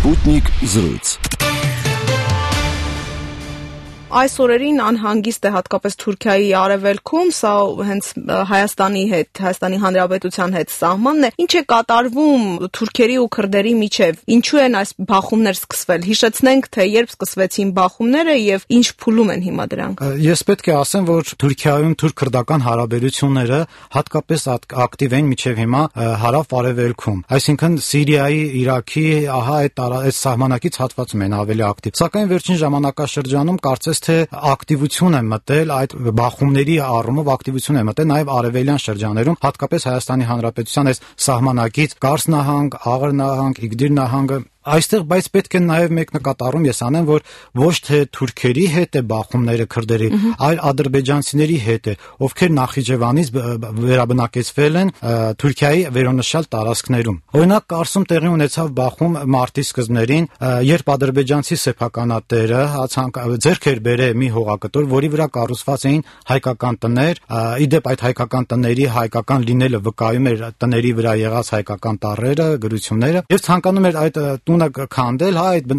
Sputnik զրույց։ Այս օրերին անհանգիստ է հատկապես Թուրքիայի արևելքում, սա հենց Հայաստանի Հանրապետության հետ սահմանն է։ Ինչ է կատարվում թուրքերի ու քրդերի միջև, ինչու են այս բախումներ սկսվել։ Հիշեցնենք, թե երբ սկսվեցին բախումները եւ ինչ փուլում են հիմա դրանք։ Ես պետք է ասեմ, որ Թուրքիայում թուրք-քրդական հարաբերությունները հատկապես ակտիվ են մինչև հիմա հարավ-արևելքում, այսինքն Սիրիայի, Իրաքի, այդ սահմանակից հատվածում են ավելի ակտիվ։ Սակայն վերջին ժամանակաշրջանում կարծես թե ակտիվություն է մտել այդ բախումների առումով ակտիվություն է մտել նաև արևելյան շրջաներում, հատկապես Հայաստանի Հանրապետության այս սահմանակից Կարս նահանգ, Աղր նահանգ, Իգդիր նահանգը այստեղ, բայց պետք է նաև մեկ նկատառում ես անեմ, որ ոչ թե թուրքերի հետ է բախումները քրդերի, այլ ադրբեջանցիների հետ է, ովքեր Նախիջևանից վերաբնակեցվել են Թուրքիայի վերոնշյալ տարածքներում։ Օրինակ Կարսում տեղի ունեցավ բախում մարտի սկզբներին, երբ ադրբեջանցի սեփականատերը ձեռք էր բերել մի հողակտոր, որի վրա կառուցված էին հայկական տներ, իդեպ այդ հայկական տների հայկական լինելը վկայում էր տների վրա եղած հայկական տառերը, գրությունները, եւ ցանկանում էր այդ տունը քանդել, այդ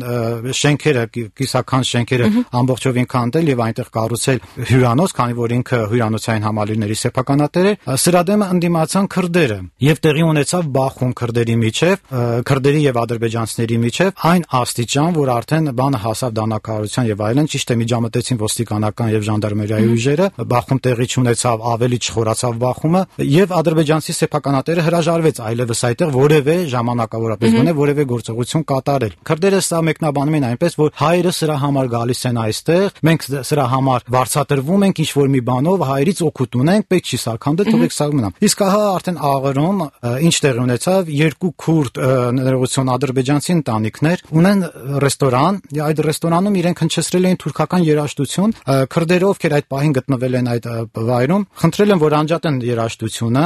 շենքերը, կիսաքանդ շենքերը ամբողջովին քանդել եւ այնտեղ կառուցել հյուրանոց, քանի որ ինքը հյուրանոցային համալիրների սեփականատեր էր։ Սրա դեմ ընդդիմացան քրդերը եւ տեղի ունեցավ բախում քրդերի միջև, քրդերի եւ ադրբեջանցիների միջև այն աստիճան, որ արդեն բանը հասավ դանակահարության եւ այլն, ճիշտ է միջամտեցին ոստիկանական եւ ժանդարմերիայի ուժերը, բախում տեղի չունեցավ, ավելի չխորացավ բախումը եւ ադրբեջանցի սեփականատերը հրաժարվեց այլևս այդտեղ որևէ ժամանակավորապես գոնե որևէ գործողություն կատարել։ Քրդերը սա մեկնաբանում են այնպես, որ հայերը սրա համար գալիս են այստեղ, մենք սրա համար վարձատրվում ենք ինչ-որ մի բանով, հայերից օգուտ ունենք, պետք չի սարքանդել, թողեք սա մնա։ Իսկ ահա արդեն Աղրում ինչ տեղի ունեցավ, երկու քուրդ ներողություն ադրբեջանցի ընտանիքներ ունեն ռեստորան, այդ ռեստորանում իրենք հնչեցրել էին թուրքական երաժշտություն, քրդերը, ովքեր այդ պահին գտնվել են այդ վայրում, խնդրել են, որ անջատեն երաժշտությունը,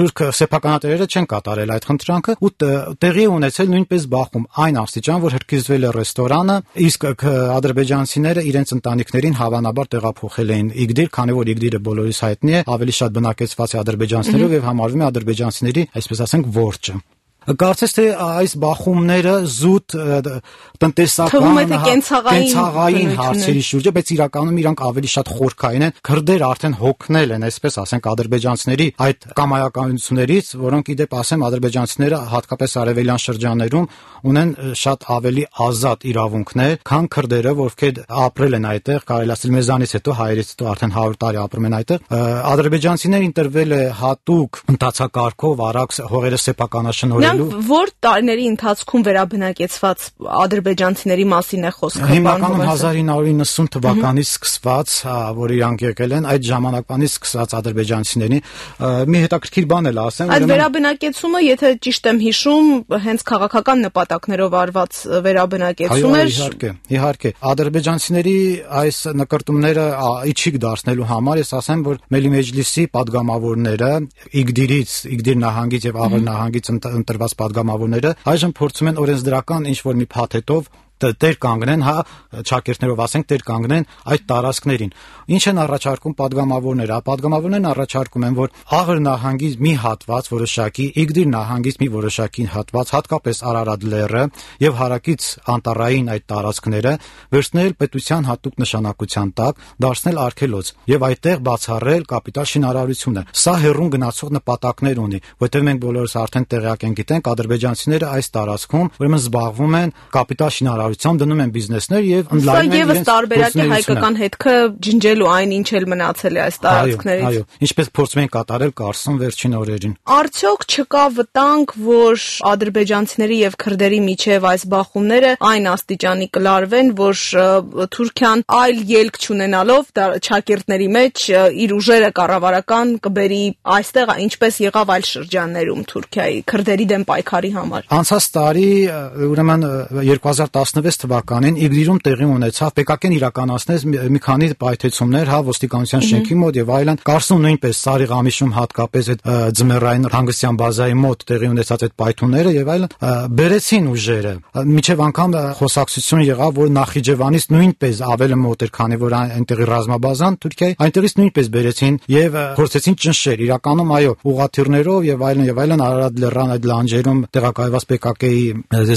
թուրք սեփականատերերը չեն կատարել այդ խնդրանքը ու տեղի ունեցել նույնպես բախում այն աստիճան, որ հրկիզվել է ռեստորանը, իսկ ադրբեջանցիները իրենց ընտանիքներին հավանաբար տեղափոխել էին Իգդիր, քանի որ Իգդիրը բոլորիս հայտնի է, ավելի շատ բնակեցված է ադրբեջանցիներով եւ համարվում է ադրբեջանցիների, այսպես ասենք, որջը։ Կարծես թե այս բախումները զուտ տնտեսական կենցաղային հարցերի շուրջ է, բայց իրականում իրանք ավելի շատ խորքային են, քրդեր արդեն հոգնել են, այսպես ասենք, ադրբեջանցիների այդ կամայականություններից, որոնք իդեպ ասեմ ադրբեջանցիները հատկապես արևելյան շրջաններում ունեն շատ ավելի ազատ իրավունքներ, քան քրդերը, ովքեր ապրել են այդտեղ, կարելի ասել մեզանից հետո, հայերից հետո արդեն 100 տարի ապրում են այդտեղ։ Ադրբեջանցիներին տրվել է հատուկ ընթացակարգով արագ հողերը սեփականաշնորհել։ Որ տարիների ընթացքում վերաբնակեցված ադրբեջանցիների մասին է խոսքը։ Հիմնականում 1990 թվականից սկսված, որ իրանք եկել են, այդ ժամանակվանից սկսած ադրբեջանցիների մի հետաքրքիր բան էլ ասեմ։ Այդ վերաբնակեցումը, եթե ճիշտ եմ հիշում, հենց քաղաքական նպատակներով արված վերաբնակեցում էր։ Իհարկե, ադրբեջանցիների այս նկարտումները իջիկ դարձնելու համար ես ասեմ, որ Մելի Մեջլիսի падգամավորները Իգդիր նահանգից եւ Աղր նահանգից ընտրված падգամավորները այժմ փորձում են օրենսդրական ինչ-որ մի փաթեթով տեր կանգնեն, ճակերտներով ասենք, տեր կանգնեն այդ տարածքներին։ Ինչ են առաջարկում падգամավորները։ Падգամավորներն առաջարկում են, որ Աղր նահանգի մի հատված որոշակի, Իգդիր նահանգից մի որոշակի հատված, հատկապես Արարատ լեռը եւ հարակից անտառային այդ տարածքները վերցնել պետության հատուկ նշանակության տակ, դարձնել արգելոց եւ այդտեղ բացառել կապիտալ շինարարությունը։ Սա հերուն գնացող նպատակներ ունի, որտեղ մենք բոլորս արդեն տեղյակ ենք, գիտենք, ադրբեջանցիները այս տարածքում ուրեմն զբաղվում են կապիտալ շինարարությամբ, դնում են բիզնեսներ եւ ընդլայնում են իրենց տարբերակի հայկական հետքը ջնջելու այն, ինչ էլ մնացել է այս տարածքներից։ Այո, ինչպես փորձում են կատարել Կարսում վերջին օրերին։ Արդյոք չկա վտանգ, որ ադրբեջանցիների եւ քրդերի միջև այս բախումները այն աստիճանի կլարվեն, որ Թուրքիան այլ ելք չունենալով ճակերտների մեջ իր ուժերը կառավարական կբերի այստեղ, ինչպես եղավ այլ շրջաններում Թուրքիայի քրդերի դեմ պայքարի համար։ Անցած տարի, ուրեմն 2010 16 թվականին Իգրիրում տեղի ունեցավ ՊԿԿ-ն իրականացնեց մի քանի պայթեցումներ, ոստիկանության շենքի մոտ եւ այլն։ Կարսում նույնպես Սարիղամիշում հատկապես այդ ձմեռային հանգստյան բազայի մոտ տեղի ունեցած այդ պայթունները եւ այլն բերեցին ուժերը։ Միջև անգամ խոսակցություն եղավ, որ Նախիջևանից նույնպես ավելի մոտ էր, քանի որ այնտեղի ռազմաբազան Թուրքիայի, այնտեղից նույնպես բերեցին եւ փորձեցին ճնշել։ Իրականում այո, ուղղաթիռներով եւ այլն Արարատ լեռան այդ լանջերում տեղակայված ՊԿԿ-ի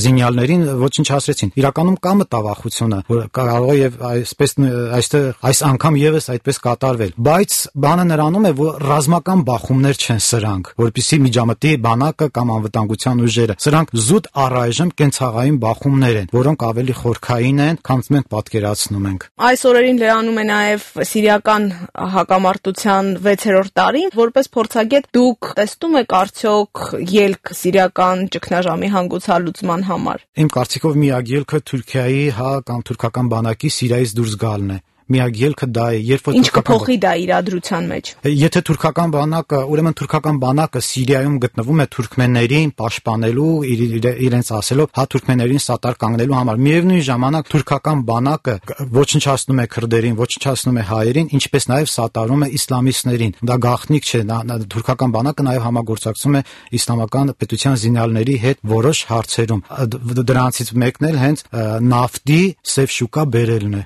զինյալներին ոչնչացրեցին։ Իրականում կա մտավախությունը, որ կարող է եւ այսպես այստեղ այս անգամ եւս այդպես կատարվել։ Բայց բանը նրանում է, որ ռազմական բախումներ չեն սրանք, որպեսզի միջամտի բանակը կամ անվտանգության ուժերը։ Սրանք զուտ առայժմ կենցաղային բախումներ են, որոնք ավելի խորքային են, քան մենք պատկերացնում ենք։ Այս օրերին լրանում է նաեւ սիրիական հակամարտության 6-րդ տարին, որպես փորձագետ դուք տեսնում եք արդյոք ելք սիրիական ճգնաժամի հանգուցալուծման համար։ Իմ կարծիքով միակ ելքը Թուրքիայի կամ թուրքական բանակի Սիրիայից դուրս գալն է։ Միակ ելքը դա է, երբ որ ինչ կփոխի դա իրադրության մեջ։ Եթե թուրքական բանակը, ուրեմն թուրքական բանակը Սիրիայում գտնվում է թուրքմեններին պաշտպանելու, իրենց ասելով, թուրքմեններին սատար կանգնելու համար։ Միևնույն ժամանակ թուրքական բանակը ոչնչացնում է քրդերին, ոչնչացնում է հայերին, ինչպես նաև սատարում է իսլամիստներին։ Դա գաղտնիք չէ, թուրքական բանակը նաև համագործակցում է իսլամական պետության զինյալների հետ որոշ հարցերում։ Դրանցից մեկն էլ հենց նավթի սև շուկա բերելն է։